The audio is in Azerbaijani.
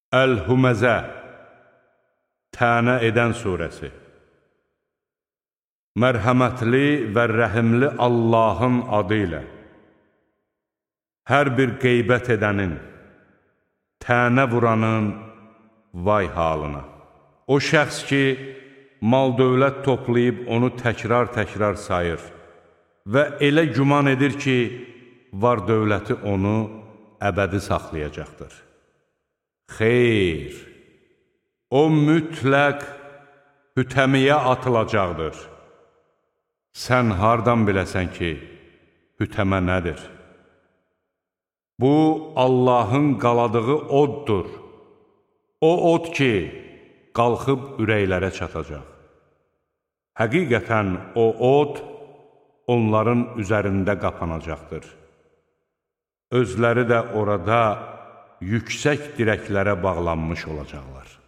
Əl-Hüməzə Tənə edən surəsi. Mərhəmətli və rəhimli Allahın adı ilə. Hər bir qeybət edənin, tənə vuranın vay halına. O şəxs ki, mal-dövlət toplayıb onu təkrar-təkrar sayır və elə güman edir ki, var dövləti onu əbədi saxlayacaqdır. Xeyr, o mütləq hütəmiyə atılacaqdır. Sən hardan biləsən ki, hütəmə nədir? Bu, Allahın qaladığı oddur. O od ki, qalxıb ürəklərə çatacaq. Həqiqətən o od onların üzərində qapanacaqdır. Özləri də orada yüksək dirəklərə bağlanmış olacaqlar.